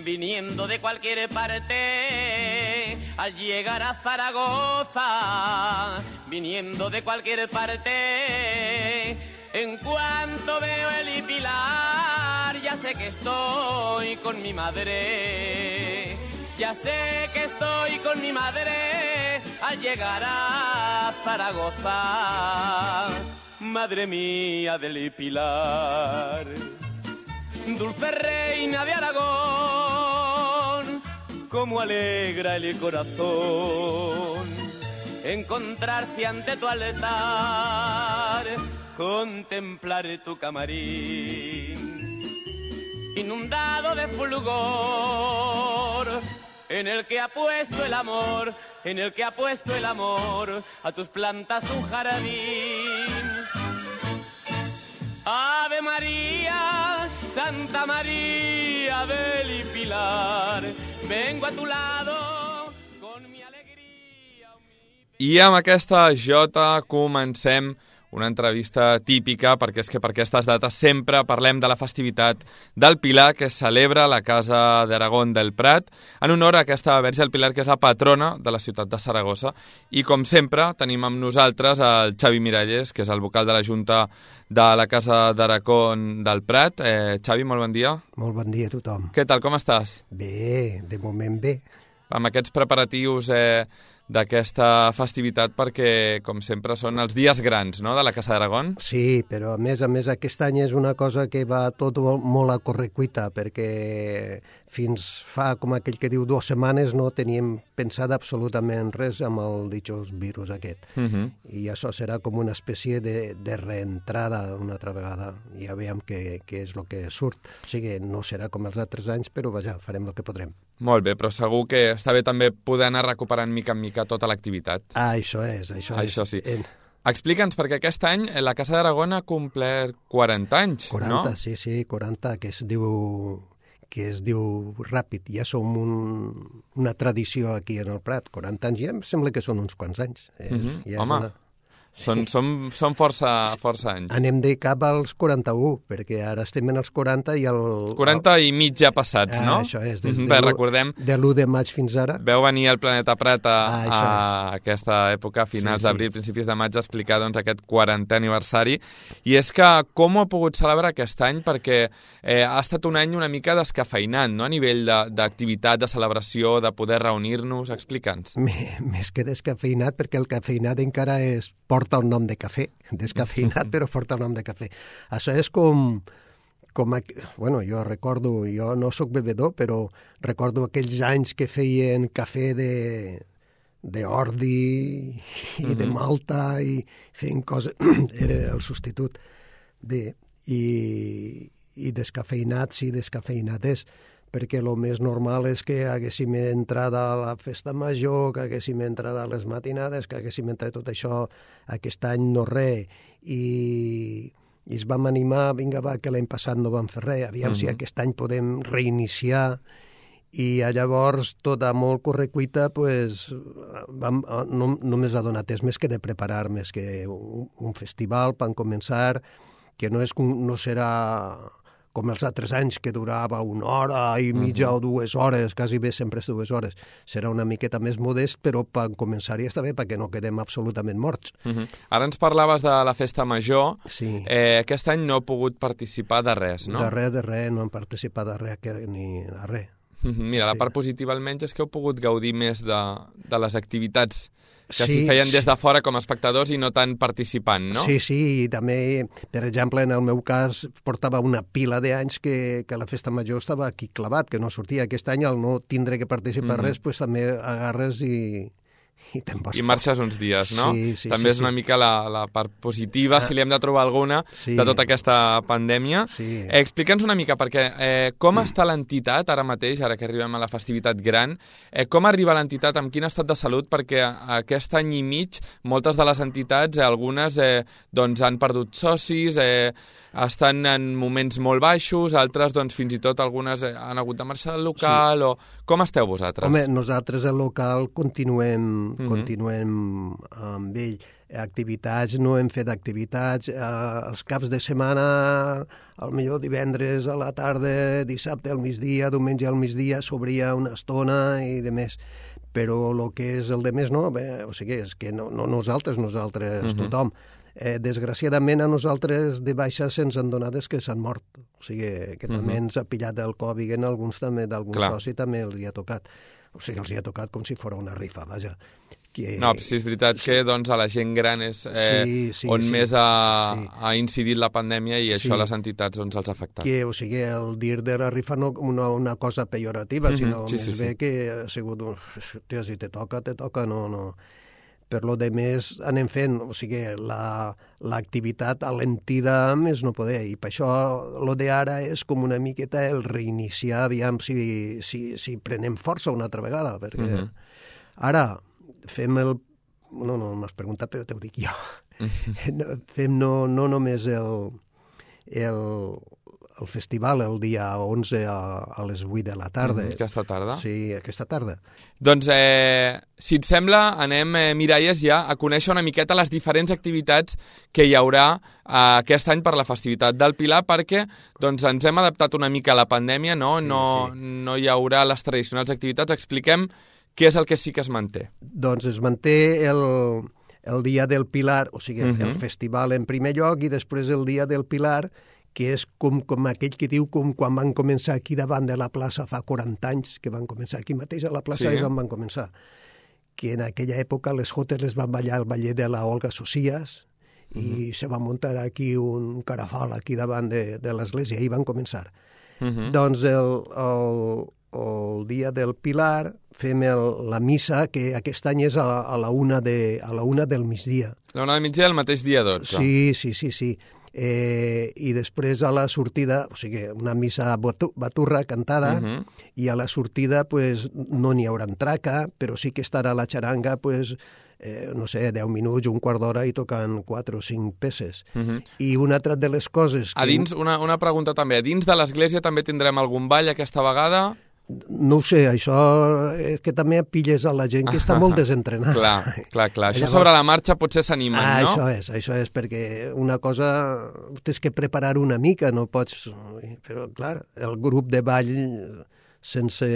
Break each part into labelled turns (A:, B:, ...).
A: Viniendo de cualquier parte, al llegar a Zaragoza, viniendo de cualquier parte, en cuanto veo el Pilar, ya sé que estoy con mi madre, ya sé que estoy con mi madre, al llegar a Zaragoza, madre mía del Pilar. Dulce reina de Aragón, cómo alegra el corazón encontrarse ante tu altar, contemplar tu camarín inundado de fulgor, en el que ha puesto el amor, en el que ha puesto el amor a tus plantas un jardín. Ave María, Santa María del Pilar, vengo a tu lado con mi alegria.
B: I amb aquesta jota comencem una entrevista típica, perquè és que per aquestes dates sempre parlem de la festivitat del Pilar que es celebra a la Casa d'Aragón del Prat, en honor a aquesta Verge del Pilar, que és la patrona de la ciutat de Saragossa. I com sempre tenim amb nosaltres el Xavi Miralles, que és el vocal de la Junta de la Casa d'Aragón del Prat. Xavi, molt bon dia.
C: Molt bon dia a tothom.
B: Què tal, com estàs?
C: Bé, de moment bé.
B: Amb aquests preparatius d'aquesta festivitat, perquè, com sempre, són els dies grans, no?, de la Casa d'Aragón.
C: Sí, però a més aquest any és una cosa que va tot molt a correcuita, perquè fins fa, com aquell que diu, 2 setmanes no teníem pensat absolutament res amb el ditjós virus aquest. I això serà com una espècie de reentrada una altra vegada. Ja veiem què és el que surt. O sigui, no serà com els altres anys, però vaja, farem el que podrem.
B: Molt bé, però segur que està bé també poder anar recuperant mica en mica tota l'activitat.
C: Això és.
B: Això sí. Explica'ns, perquè aquest any la Casa d'Aragón ha complert 40 anys,
C: 40,
B: no?
C: Sí, 40, que es diu ràpid. Ja som una tradició aquí en el Prat. 40 anys ja em sembla que són uns quants anys.
B: Home, són força anys.
C: Anem de cap als 41, perquè ara estem en els 40 i el...
B: 40 i mig ja passats, no?
C: Això és,
B: recordem,
C: de l'1 de maig fins ara.
B: Veu venir el Planeta Prat a aquesta època, a finals d'abril, principis de maig, a explicar doncs, aquest 40è aniversari. I és que com ho ha pogut celebrar aquest any? Perquè ha estat un any una mica descafeinat, no?, a nivell d'activitat, de celebració, de poder reunir-nos. Explica'ns.
C: Més que descafeinat, perquè el cafeinat encara porta el nom de cafè, descafeinat, però porta el nom de cafè. Això és com bueno, jo no sóc bevedor, però recordo aquells anys que feien cafè d'ordi i de malta i feien coses, era el substitut. Bé, i descafeinat, sí, descafeinat és, perquè el més normal és que haguéssim entrat a la festa major, que haguéssim entrat a les matinades, que haguéssim entrat tot això. Aquest any no res, i ens vam animar, vinga va, que l'any passat no vam fer res, aviam si aquest any podem reiniciar, i llavors, tota molt correcuita, pues, només ha donat temps més que de preparar, més que un festival per començar, que no serà com els altres anys, que durava 1 hora i mitja o 2 hores, quasi bé sempre és 2 hores. Serà una miqueta més modest, però per començar ja està bé, perquè no quedem absolutament morts.
B: Ara ens parlaves de la festa major.
C: Sí.
B: Aquest any no he pogut participar de res, no?
C: De res, no hem participat de res, ni de res.
B: Mira, la part positiva almenys és que heu pogut gaudir més de les activitats que s'hi feien des de fora com a espectadors i no tant participant, no?
C: Sí, i també, per exemple, en el meu cas, portava una pila d'anys que la festa major estava aquí clavat, que no sortia. Aquest any, al no tindre que participar res, pues també agarres i i te'n vas
B: I marxes uns dies, no?
C: Sí,
B: També és una mica la part positiva, si li hem de trobar alguna, de tota aquesta pandèmia.
C: Sí.
B: Explica'ns una mica, perquè com està l'entitat ara mateix, ara que arribem a la festivitat gran, com arriba l'entitat, amb quin estat de salut, perquè aquest any i mig moltes de les entitats, algunes doncs han perdut socis, estan en moments molt baixos, altres doncs fins i tot algunes han hagut de marxar del local, o com esteu vosaltres?
C: Home, nosaltres al local continuem amb ell. Activitats, no hem fet activitats. Els caps de setmana, al millor divendres a la tarda, dissabte al migdia, diumenge al migdia, s'obria una estona i de més. Però el que és el de més no, o sigui, és que no nosaltres, tothom. Desgraciadament a nosaltres de baixa se'ns han donat que s'han mort. O sigui, que també ens ha pillat el Covid, en alguns també, d'algun soci també els hi ha tocat. O sigui, els hi ha tocat com si fos una rifa, vaja.
B: No, sí, és veritat que doncs, a la gent gran és on més ha incidit la pandèmia i això a les entitats doncs, els ha afectat.
C: O sigui, el dir de la rifa no una cosa pejorativa, sinó més bé que ha sigut, si te toca, no. Per lo de més anem fent, o sigui, l'activitat alentida més no poder, i per això lo d'ara és com una miqueta el reiniciar, aviam si prenem força una altra vegada, perquè ara fem el... No m'has preguntat, però t'ho dic jo. Fem no només el festival el dia 11 a les 8 de la tarda.
B: Aquesta tarda?
C: Sí, aquesta tarda.
B: Doncs, si et sembla, anem, Miralles, ja a conèixer una miqueta les diferents activitats que hi haurà aquest any per la festivitat del Pilar, perquè doncs, ens hem adaptat una mica a la pandèmia, no? No hi haurà les tradicionals activitats. Expliquem què és el que sí que es manté. Doncs
C: es manté el dia del Pilar, o sigui, el festival en primer lloc, i després el dia del Pilar, que és com aquell que diu com quan van començar aquí davant de la plaça fa 40 anys, que van començar aquí mateix a la plaça, és on van començar. Que en aquella època les jotes les van ballar el ballet de la Olga Socias i se va muntar aquí un carafal aquí davant de l'església i van començar. Doncs el dia del Pilar fem la missa, que aquest any és a la una del migdia.
B: La una del migdia del mateix dia 12.
C: Sí. I després a la sortida, o sigui, una missa baturra cantada, i a la sortida pues, no n'hi haurà traca, però sí que estarà la xaranga, pues, no sé, 10 minuts, un quart d'hora i tocant 4 o 5 peces. I una altra de les coses...
B: A dins, una pregunta també, a dins de l'església també tindrem algun ball aquesta vegada?
C: No ho sé, això és que també pilles a la gent que està molt desentrenada.
B: Clar. Això sobre la marxa potser s'animen, no?
C: Això és, perquè una cosa tens que preparar una mica, no pots... Però, clar, el grup de ball sense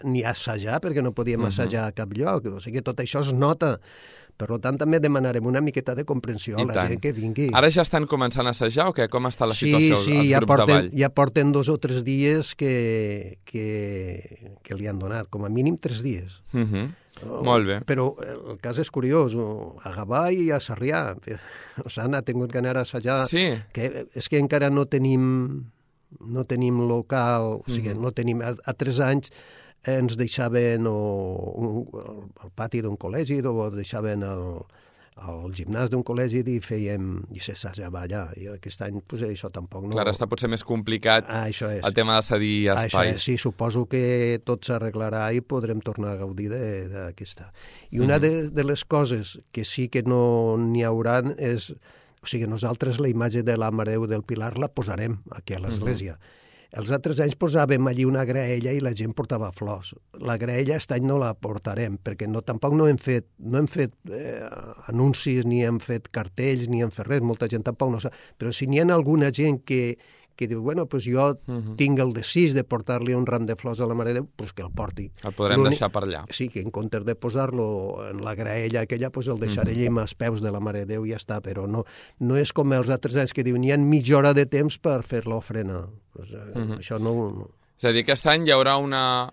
C: ni assajar, perquè no podíem assajar a cap lloc, o sigui, tot això es nota. Per tant, també demanarem una miqueta de comprensió a la gent que vingui.
B: Ara ja estan començant a assajar o què? Com està la situació als grups de ball?
C: Ja porten 2 o 3 dies que li han donat, com a mínim 3 dies.
B: Molt bé.
C: Però el cas és curiós, a Gavà i a Sarrià. S'han tingut que anar a assajar.
B: Sí.
C: És que encara no tenim local, o sigui, no tenim... A 3 anys ens deixaven al pati d'un col·legi o deixaven al gimnàs d'un col·legi i s'assajava allà. I aquest any pues, això tampoc no...
B: Clar, està potser més complicat el tema de cedir espais.
C: Sí, suposo que tot s'arreglarà i podrem tornar a gaudir d'aquesta. I una de les coses que sí que no n'hi hauran és... O sigui, nosaltres la imatge de la Mare de Déu del Pilar la posarem aquí a l'església. Els altres anys posàvem allí una graella i la gent portava flors. La graella aquest any no la portarem, perquè tampoc no hem fet anuncis, ni hem fet cartells, ni hem fet res, molta gent tampoc no sap. Però si n'hi ha alguna gent que diu, bueno, pues jo tinc el desig de portar-li un ram de flors a la Mare de Déu, pues que el porti.
B: El podrem deixar per allà.
C: Sí, que en comptes de posar-lo en la graella aquella, pues el deixaré allà amb els peus de la Mare de Déu i ja està, però no és com els altres anys que diuen, n'hi ha mitja hora de temps per fer l'ofrena. Pues, això no...
B: És a dir, aquest any hi haurà una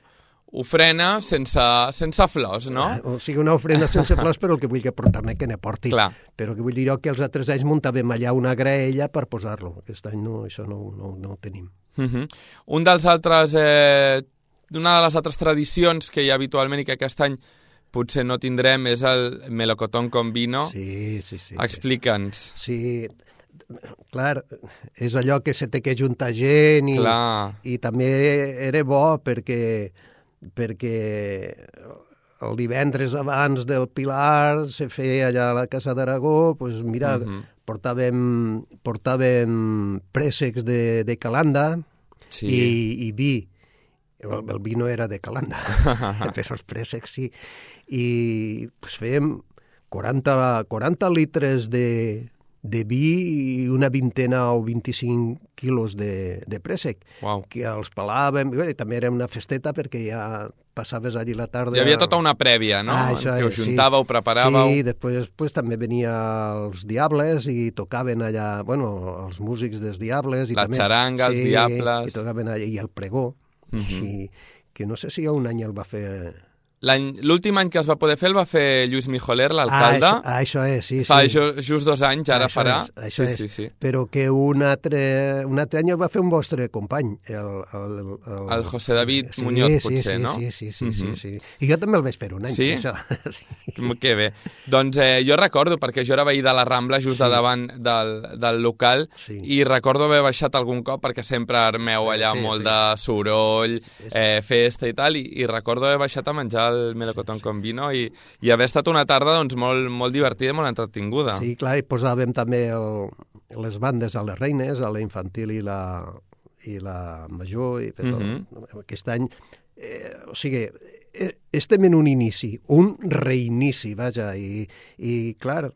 B: ofrena sense flors, no?
C: O sigui, una ofrena sense flors, però el que vull que portar-ne que ne porti.
B: Clar.
C: Però que vull dir que els altres anys muntàvem allà una graella per posar-lo. Aquest any no, això no ho tenim.
B: Una de les altres tradicions que hi ha habitualment i que aquest any potser no tindrem és el melocotón con vino.
C: Sí.
B: Explica'ns.
C: Sí, clar, és allò que se té que juntar gent i també era bo perquè el divendres abans del Pilar se feia allà a la Casa d'Aragó, doncs mira, portàvem préssecs de Calanda i vi. El vi no era de Calanda, però els préssecs sí. I pues, fèiem 40 litres de vi i una vintena o 25 quilos de préssec, que els pelàvem, i també era una festeta perquè ja passaves allí la tarda...
B: Hi havia tota una prèvia, no? Que us juntàveu, preparàveu...
C: Sí, després també venia els Diables i tocaven allà, bueno, els músics dels Diables...
B: La xaranga, els Diables...
C: I tocaven allà, i el pregó, i que no sé si un any el va fer...
B: L'últim any que es va poder fer el va fer Lluís Mijoler, l'alcalde.
C: Això és, sí.
B: Fa just 2 anys, ara farà.
C: Això és. Sí. Però que un altre any el va fer un vostre company,
B: el José David Muñoz, potser, no?
C: Sí. I jo també el vaig fer un any.
B: Sí? Que bé. Doncs jo recordo, perquè jo era veí de la Rambla, just de davant del local, i recordo haver baixat algun cop, perquè sempre armeu allà molt de soroll, festa i tal, i recordo haver baixat a menjar el melocotón con vino i haver estat una tarda doncs, molt divertida i molt entretinguda.
C: Sí, clar, i posàvem també les bandes a les reines, a la infantil i la major, i aquest any, o sigui, estem en un inici, un reinici, vaja, i clar,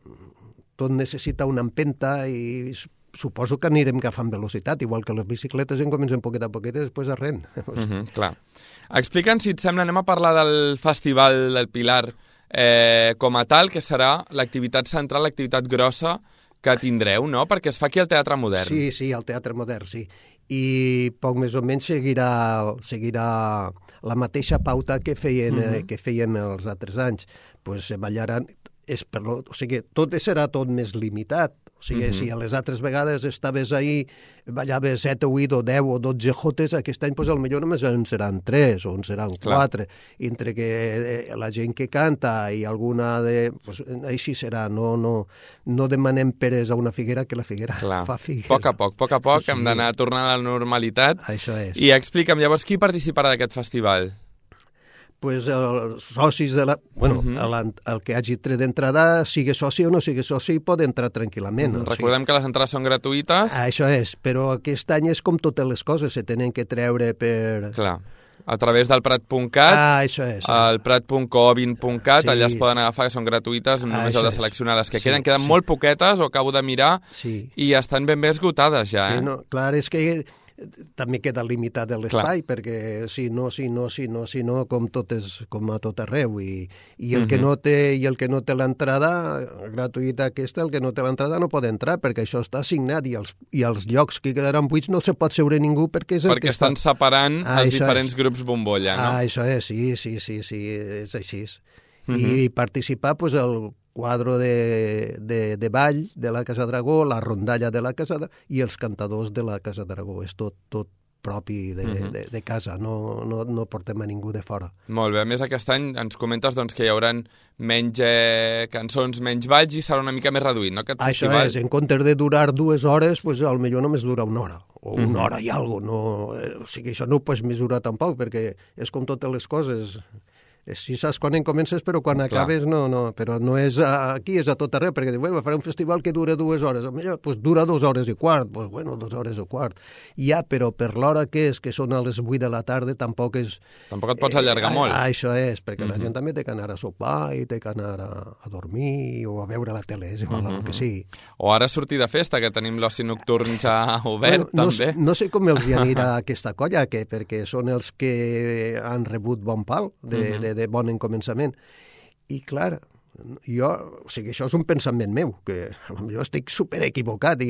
C: tot necessita una empenta i suposo que anirem agafant velocitat, igual que les bicicletes comencen poquet a poquet i després arren.
B: Clar. Explica'ns, si et sembla, anem a parlar del Festival del Pilar com a tal, que serà l'activitat central, l'activitat grossa que tindreu, no? Perquè es fa aquí al Teatre Modern.
C: Sí, al Teatre Modern, sí. I poc més o menys seguirà la mateixa pauta que fèiem els altres anys. Pues ballaran, o sigui, tot serà tot més limitat. O sigui, si a les altres vegades estaves ahí, ballaves 7 o 8 o 10 o 12 jotes, aquest any potser només en seran 3 o en seran 4. Entre que la gent que canta i alguna de... Pues, així serà, no demanem peres a una figuera que la figuera fa figues.
B: A poc, hem d'anar tornant a la normalitat.
C: Això és.
B: I explica'm, llavors, qui participarà d'aquest festival?
C: Pues els socis el que hagi tret d'entrada, sigui soci o no sigui soci, pot entrar tranquil·lament.
B: Recordem que les entrades són gratuïtes.
C: Això és, però aquest any és com totes les coses, se tenen que treure per...
B: Clar, a través del Prat.cat,
C: això és.
B: El Prat.coovin.cat, allà es poden agafar, que són gratuïtes, només heu de seleccionar les que queden. Queden molt poquetes, ho acabo de mirar, i estan ben bé esgotades ja.
C: Clar, és que... també queda limitat l'espai, perquè si no, com a tot arreu, i el que no té l'entrada gratuïta aquesta, el que no té l'entrada no pot entrar, perquè això està assignat, i els llocs que quedaran buits no se pot seure ningú, perquè
B: estan separant els diferents grups bombolla, no?
C: Això és, sí, és així. I participar, doncs, el quadre de ball de la Casa d'Aragó, la rondalla de la Casa i els cantadors de la Casa d'Aragó. És tot propi de casa, no portem a ningú de fora. Molt
B: bé, a més aquest any ens comentes doncs, que hi haurà menys cançons, menys balls i serà una mica més reduït, no, aquest festival?
C: Això és, en comptes de durar 2 hores, pues, potser només dura 1 hora, o 1 hora i alguna cosa. O sigui, això no ho pots mesurar tampoc, perquè és com totes les coses. Si saps quan en comences, però quan acabes no. Però no és aquí, és a tot arreu, perquè farà un festival que dura 2 hores. Doncs dura 2 hores i quart. Doncs 2 hores i quart. Ja, però per l'hora que són a les 8 de la tarda, tampoc és...
B: Tampoc et pots allargar molt.
C: Això és, perquè la gent també té que anar a sopar i té que anar a dormir o a veure la tele, és igual el que sigui.
B: O ara sortir de festa, que tenim l'oci nocturn ja obert, també.
C: No sé com els anirà aquesta colla, perquè són els que han rebut bon pal de bon començament. I clar, això és un pensament meu, que jo estic super equivocat,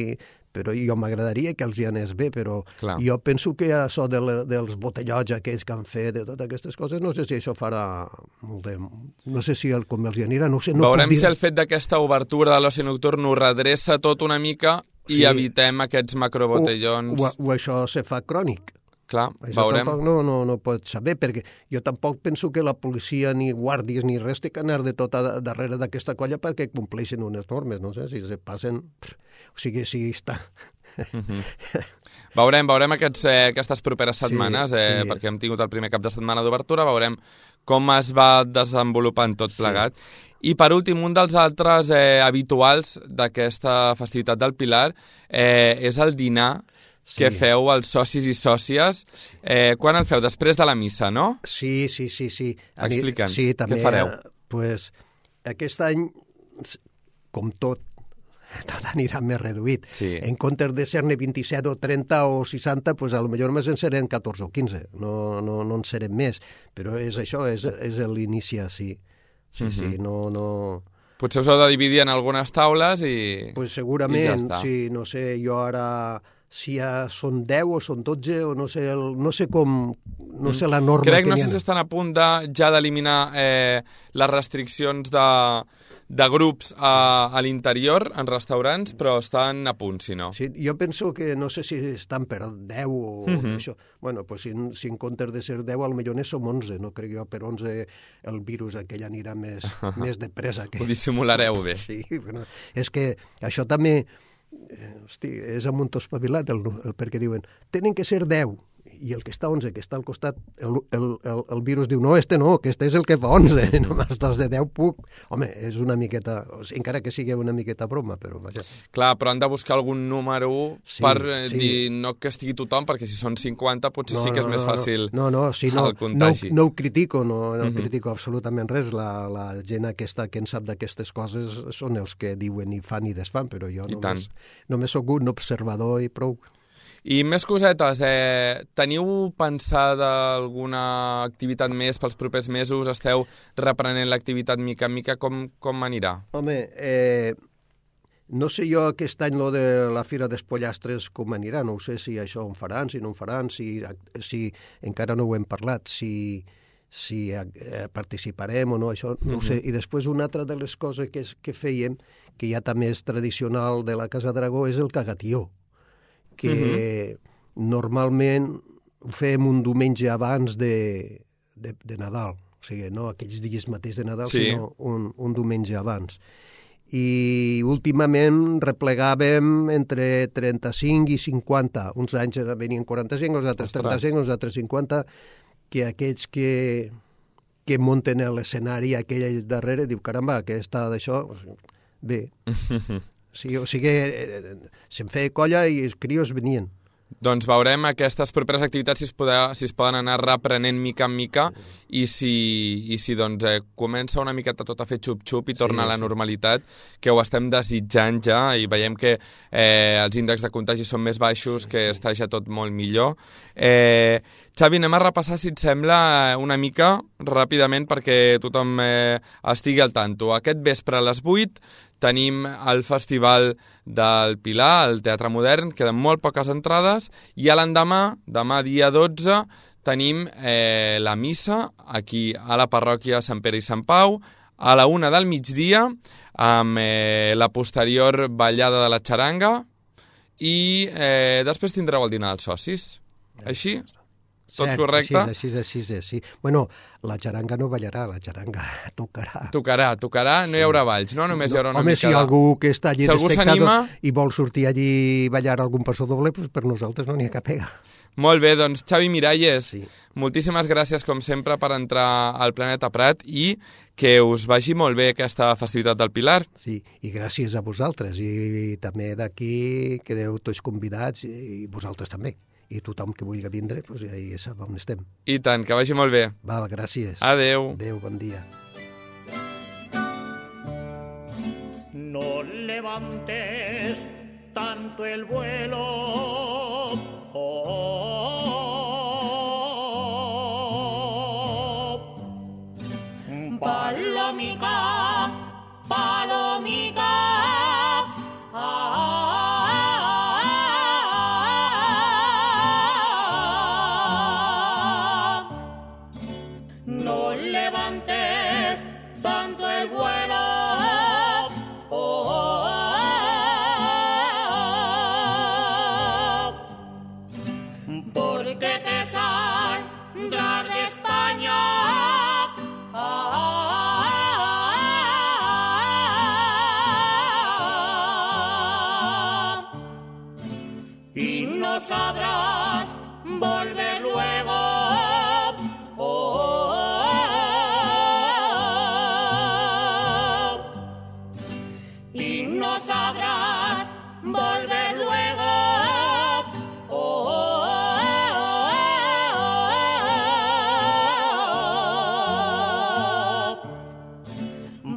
C: però jo m'agradaria que els hi anés bé, però jo penso que això dels botellots aquells que han fet, de totes aquestes coses, no sé si això farà molt de... No sé si com els hi anirà, no sé.
B: Veurem si el fet d'aquesta obertura de l'oci nocturn ho redreça tot una mica i evitem aquests macrobotellons.
C: O això se fa crònic.
B: Clar,
C: Això
B: veurem.
C: tampoc no pots saber, perquè jo tampoc penso que la policia, ni guàrdies, ni res té que anar de tot darrere d'aquesta colla perquè compleixin unes normes, no sé, si se passen... O sigui, si està...
B: Veurem aquestes properes setmanes,
C: sí.
B: perquè hem tingut el primer cap de setmana d'obertura, veurem com es va desenvolupant tot plegat. I per últim, un dels altres habituals d'aquesta festivitat del Pilar és el dinar que feu els socis i sòcies. Quan el feu? Després de la missa, no?
C: Sí.
B: Explica'ns,
C: també,
B: què fareu?
C: Pues, aquest any, com tot anirà més reduït.
B: Sí.
C: En comptes de ser-ne 27 o 30 o 60, pues, a lo millor més en serem 14 o 15. No en serem més. Però és això, és l'inici, sí. Sí, no...
B: Potser us heu de dividir en algunes taules i...
C: Pues segurament,
B: ja està.
C: sí, no sé, jo ara... si ja són 10 o són 12 o no sé com... No sé la norma
B: Crec,
C: que
B: no
C: n'hi
B: sé
C: ha.
B: si estan a punt ja d'eliminar les restriccions de grups a l'interior, en restaurants, però estan a punt, si no.
C: Sí, jo penso que no sé si estan per 10 o això. Bueno, pues si en comptes de ser 10, potser ne som 11, no crec jo, per 11 el virus aquell anirà més de pressa.
B: Ho dissimulareu bé.
C: Sí, bueno, és que això també... Hosti, és un munt espavilat, perquè diuen, tenen que ser 10, i el que està 11, que està al costat, el virus diu, no, no, aquest és el que fa 11, només dels de 10 puc. Home, és una miqueta, encara que sigui una miqueta broma, però vaja.
B: Clar, però han de buscar algun número per dir, no que estigui tothom, perquè si són 50 potser sí que és més fàcil el contagi.
C: No ho critico, no critico absolutament res. La gent aquesta que en sap d'aquestes coses són els que diuen i fan i desfan, però jo només soc un observador i prou.
B: I més cosetes, teniu pensada alguna activitat més pels propers mesos? Esteu reprenent l'activitat mica en mica? Com anirà?
C: Home, no sé jo aquest any lo de la Fira d'Espollastres com anirà, no sé si això en faran, si no en faran, si encara no ho hem parlat, si participarem o no, això no ho sé. I després una altra de les coses que fèiem, que ja també és tradicional de la Casa Dragó, és el cagatió, que normalment ho fem un diumenge abans de Nadal, o sigui, no aquells dies mateix de Nadal, sinó un diumenge abans. I últimament replegàvem entre 35 i 50, uns anys venien 45, els altres 35, els altres 50, que aquells que munten l'escenari aquell darrere, diu, caramba, aquesta d'això, bé... Sí, o sigui, se'n feia colla i els crios venien.
B: Doncs veurem aquestes properes activitats si es poden anar reprenent mica en mica i si doncs, comença una miqueta tot a fer xup-xup i torna a la normalitat, que ho estem desitjant ja i veiem que els índexs de contagi són més baixos, que està ja tot molt millor. Xavi, anem a repassar, si et sembla, una mica ràpidament perquè tothom estigui al tanto. Aquest vespre a les 8 tenim el Festival del Pilar, al Teatre Modern, queden molt poques entrades, i a l'endemà, demà dia 12, tenim la missa aquí a la parròquia Sant Pere i Sant Pau, a la 1 del migdia, amb la posterior ballada de la xaranga, i després tindreu el dinar dels socis. Així? Tot correcte?
C: Sí. Bueno, la xaranga no ballarà, la xaranga tocarà.
B: Tocarà, no hi haurà balls, no? Només hi haurà una mica
C: si algú que està allí
B: d'espectador
C: i vol sortir allí i ballar algun passo doble, pues per nosaltres no n'hi ha cap pega.
B: Molt bé, doncs Xavi Miralles, moltíssimes gràcies com sempre per entrar al Planeta Prat i que us vagi molt bé aquesta festivitat del Pilar.
C: Sí, i gràcies a vosaltres i també d'aquí quedeu tots convidats i vosaltres també. I tothom que vulgui vindre, doncs ja sap on estem.
B: I tant, que vagi molt bé.
C: Val, gràcies.
B: Adeu.
C: Adeu, bon dia.
D: No levantes tanto el vuelo, palomica, palomica. No levantes tanto el vuelo, que te saldrás de España. Y no sabrás volver luego. Y no sabrás volver luego.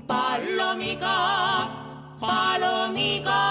D: Palomica, palomica.